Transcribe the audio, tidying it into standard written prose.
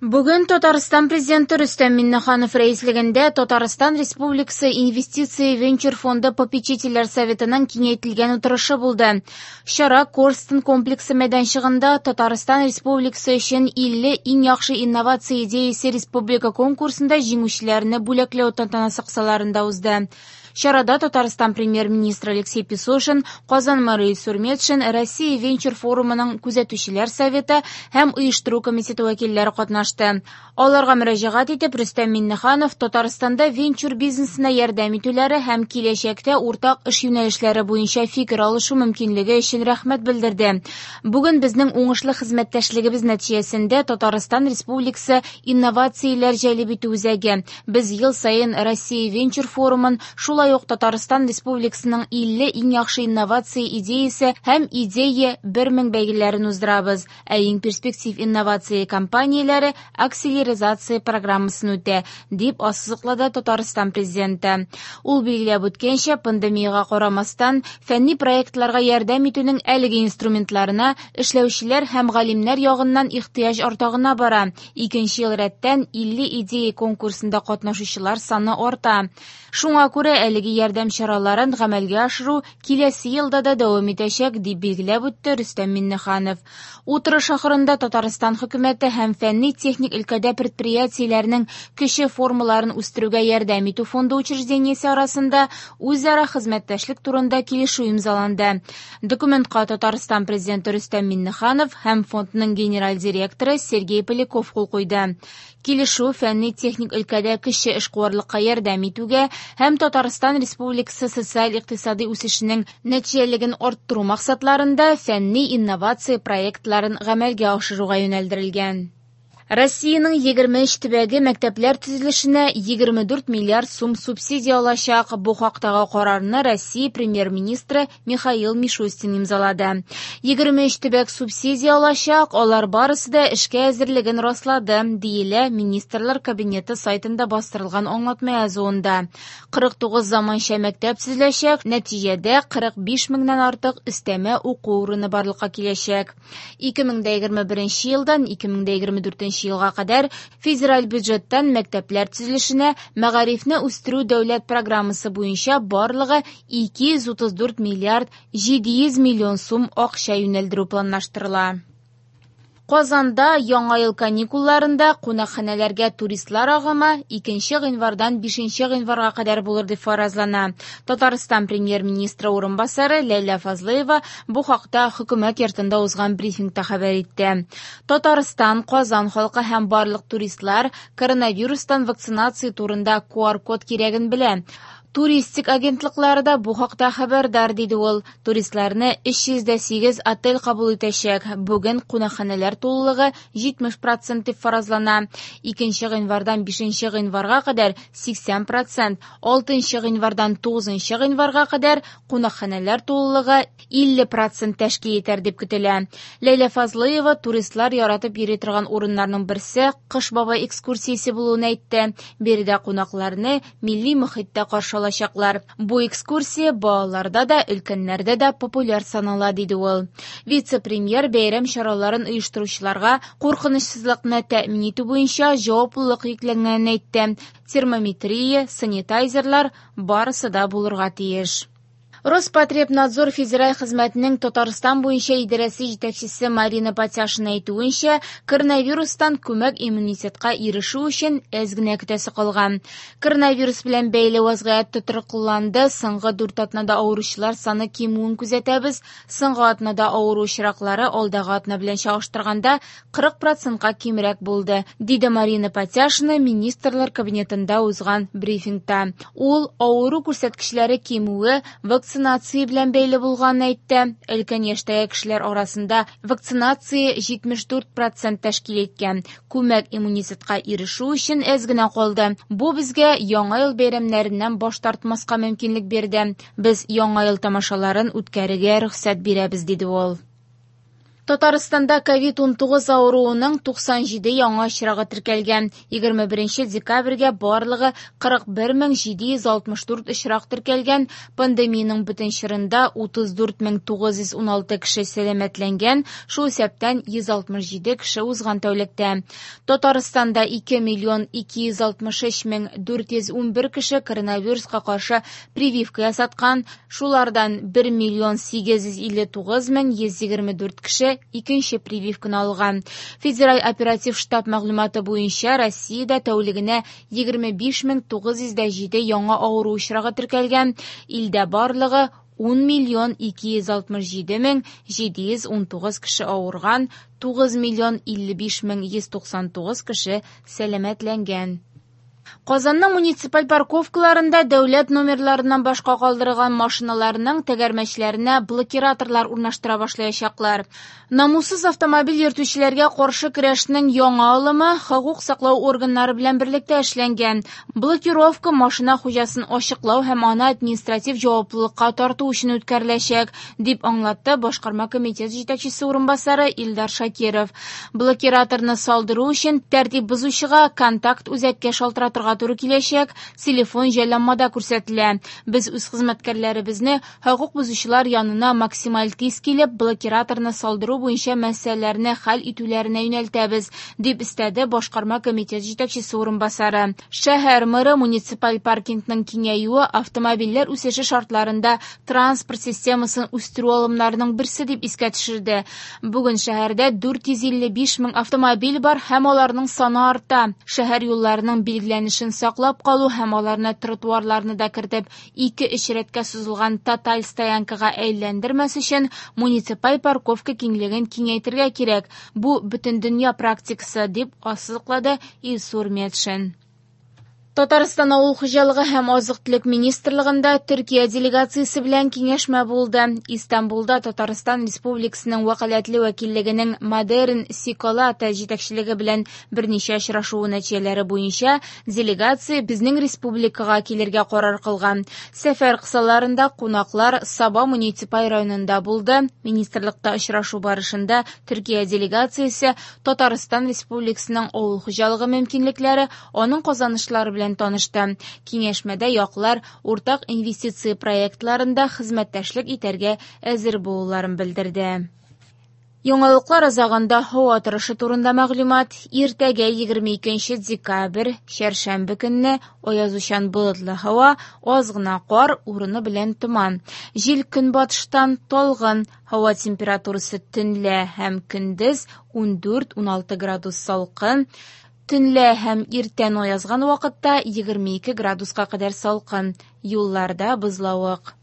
Бүген Татарстан Президенты Рөстәм Миңнеханов рәислегендә Татарстан Республикасы Инвестиция венчур фонды попечительләр советының киңәйтелгән утырышы булды. Чара Корстон комплексы мәйданчыгында Татарстан Республикасы өчен 50 иң яхшы инновация идеясе республика конкурсында җиңүчеләрне бүләкләү тантанасы кысаларында узды. Чарада Татарстан премьер-министры Алексей Песошин, Казан мэры Илсур Метшин, Россия венчур форумының күзәтүчеләр советы һәм оештыру комитеты вәкилләре катнашты. Аларга мөрәҗәгать итеп, Рөстәм Миңнеханов Татарстанда венчур бизнесына ярдәм итүләре һәм киләчәктә уртак эш юнәлешләре буенча фикер алышу мөмкинлеге өчен рәхмәт белдерде. Бүген безнең уңышлы хезмәттәшлегебез нәтиҗәсендә Татарстан Республикасы инновацияләр җәлеп итү үзәге. Без ел саен Россия венчур форумын, шулай ук Татарстан Республикасының 50 иң яхшы инновация идеясе һәм Идея 1000 бәйгеләрен уздырабыз. Ә иң перспектив инновация компанияләре акселеризация программасын үтә, дип ассызыклады Татарстан Президенты. Ул билгеләп үткәнчә, пандемиягә карамастан, фәнни проектларга ярдәм итүнең әлеге инструментларына эшләүчеләр һәм галимнәр ягыннан ихтыяҗ арта гына бара. Икенче ел рәттән 50 идея конкурсында катнашучылар саны арта. Шуңа күрә әлеге ярдәм чараларын гамәлгә ашыру киләсе елда да дәвам итәчәк, дип билгеләп үтте Рөстәм Миңнеханов. Утырыш ахырында Татарстан хөкүмәте һәм фәнни-техник өлкәдә предприятиеләрнең кече формаларын үстерүгә ярдәм итү фонды учреждениесе арасында үзара хезмәттәшлек турында килешү имзаланды. Документка Татарстан президенты Рөстәм Миңнеханов һәм фондның генераль директоры Сергей Поляков кул куйды. Килешү фәнни-техник өлкәдә кече эшкуарлыкка ярдәм итүгә һәм Татарстан Республикасы социаль-икътисади үсешенең нәтиҗәлелеген арттыру максатларында фәнни инновация проектларын гамәлгә ашыруга юнәлдерелгән. Россиянең 23 төбәге мәктәпләр төзелешенә 24 миллиард сум субсидия алачак. Бу хактагы карарны Россия премьер-министры Михаил Мишустин имзалады. 23 төбәк субсидия алачак, алар барысы да эшкә әзерлеген раслады, диелә Министрлар Кабинеты сайтында бастырылган аңлатма язуында. 49 заманча мәктәп төзеләчәк, нәтиҗәдә 45 меңнән артык өстәмә уку урыны барлыкка киләчәк. 2021 елдан 2024 елга кадәр федераль бюджеттан мәктәпләр төзелешенә мәгарифне үстерү дәүләт программасы буенча барлыгы 234 миллиард 700 миллион сум акча юнәлдерү планлаштырыла. Казанда яңа ел каникулларында кунакханәләргә туристлар агымы 2 гыйнвардан 5 гыйнварга кадәр булыр дип фаразлана. Татарстан премьер-министры урынбасары Ләйлә Фазлыева бу хакта хөкүмәт йортында узган брифингта хәбәр итте. Татарстан, Казан халкы һәм барлык туристлар коронавирустан вакцинация турында QR-код кирәген белә. Туристик агентлыклары да бу хакта хәбәрдар, диде ул. Туристларны 308 отель кабул итәчәк. Бүген кунакханәләр тулылыгы 70% дип фаразлана. 2 гыйнвардан 5 гыйнварга кадәр 80%, 6 гыйнвардан 9 гыйнварга кадәр кунакханәләр тулылыгы 50% тәшкил итәр дип көтелә. Ләйлә Фазлыева туристлар яратып йөри торган урыннарның берсе Кыш бабай экскурсиясе булуын әйтте. Биредә кунакларны милли мохиттә каршы алачаклар. Бу экскурсия балаларда да, өлкәннәрдә дә популяр санала, диде ул. Вице-премьер бәйрәм чараларын оештыручыларга куркынычсызлыкны тәэмин итү буенча җаваплылык йөкләнгәнен әйтте. Термометрия, санитайзерлар барысы да булырга тиеш. Роспотребнадзор федераль хезмәтенең Татарстан буенча идарәсе җитәкчесе Марина Патяшина әйтүенчә, коронавирустан күмәк иммунитетка ирешү өчен әз генә көтәсе калган. Коронавирус белән бәйле вазгыять тотрыкланды. Соңгы 4 атнада авыручылар саны кимүен күзәтәбез. Соңгы атнада авыру очраклары алдагы атна белән чагыштырганда 40%-ка кимрәк булды, диде Марина Патяшина Министрлар кабинетында узган брифингта. Ул авыру күрсәткечләре кимүе вакцинация белән бәйле булганын әйтте. Өлкән яшьтәге кешеләр арасында вакцинация 74% тәшкил иткән. Күмәк иммунитетка ирешү өчен әз генә калды. Бу безгә Яңа ел бәйрәмнәреннән баш тартмаска мөмкинлек бирде. Без Яңа ел тамашаларын үткәрергә рөхсәт бирәбез, диде ул. Татарстанда COVID-19 авыруының 97 яңа очрагы теркәлгән. 21 декабрьгә барлыгы 41764 очрак теркәлгән. Пандемиянең бөтен чорында 34916 кеше сәламәтләнгән, шул исәптән 167 кеше узган тәүлектә. Татарстанда 2 миллион 263 мең 411 кеше коронавируска каршы прививка ясаткан, шулардан 1 миллион 859 мең 124 кеше икенче прививканы алган. Федераль оператив штаб мәгълүматы буенча Россиядә тәүлегенә 25907 яңа авыру очрагы теркәлгән. Илдә барлыгы 10 миллион 267 мең 719 кеше авырган, 9 миллион 55 мең 199 кеше сәламәтләнгән. Казанның муниципаль парковкаларында дәүләт номерларыннан башка калдырылган машиналарның тәгәрмәчләренә блокираторлар урнаштыра башлаячаклар. Намуссыз автомобиль йөртүчеләргә каршы көрәшнең яңа алымы хокук саклау органнары белән берлектә эшләнгән. Блокировка машина хуҗасын ачыклау һәм аны административ җаваплылыкка тарту өчен үткәреләчәк, дип аңлатты башкарма комитет җитәкчесе урынбасары Илдар Шакиров. Блокираторны салдыру өчен тәртип бозучыга контакт үзәккә шалтыратырга туры киләчәк, телефон җайланмада күрсәтелә. Без үз хезмәткәрләребезне хокук бозучылар янына максималь тиз килеп, блокираторны салдыру буенча мәсьәләләрне хәл итүләренә юнәлтәбез, дип өстәде башкарма комитет җитәкчесе урынбасары. Шәһәр мэры муниципаль паркингның киңәюе автомобильләр үсеше шартларында транспорт системасын үстерү алымнарының берсе дип искә төшерде. Бүген шәһәрдә 455 мең автомобиль бар һәм аларның саны арта. Шәһәр юлларының билгеләнешен саклап калу һәм аларны тротуарларны да кертеп 2-3 рәткә сузылган тоталь стоянкага әйләндермәс өчен муниципаль парковка киңлеген киңәйтергә кирәк. Бу бөтен дөнья практикасы, дип ассызыклады Илсур Метшин. Татарстан авыл хуҗалыгы һәм азык-төлек министрлыгында Төркия делегациясе белән киңәшмә булды. Истанбулда Татарстан Республикасының вәкаләтле вәкиллегенең Модерн Сиколата җитәкчелеге белән берничә очрашуы нәтиҗәләре буенча делегация безнең республикага килергә карар кылган. Сәфәр кысаларында кунаклар Саба муниципаль районында булды. Министрлыкта очрашу барышында Төркия делегациясе Татарстан Республикасының авыл хуҗалыгы мөмкинлекләре, аның казанышлары белән танышты. Киңәшмәдә яклар уртак инвестиция проектларында хезмәттәшлек итәргә әзер булуларын белдерде. Яңалыклар азагында һава торышы турында мәгълүмат. Иртәгә 22 декабрь, чәршәмбе көнне аязучан болытлы һава, аз гына кар, урыны белән томан. Җил көнбатыштан талгын, һава температурасы төнлә һәм көндез 14-16 градус салкын. Төнлә һәм иртән аязган вакытта 22 градуска кадәр салкын. Юлларда бозлавык.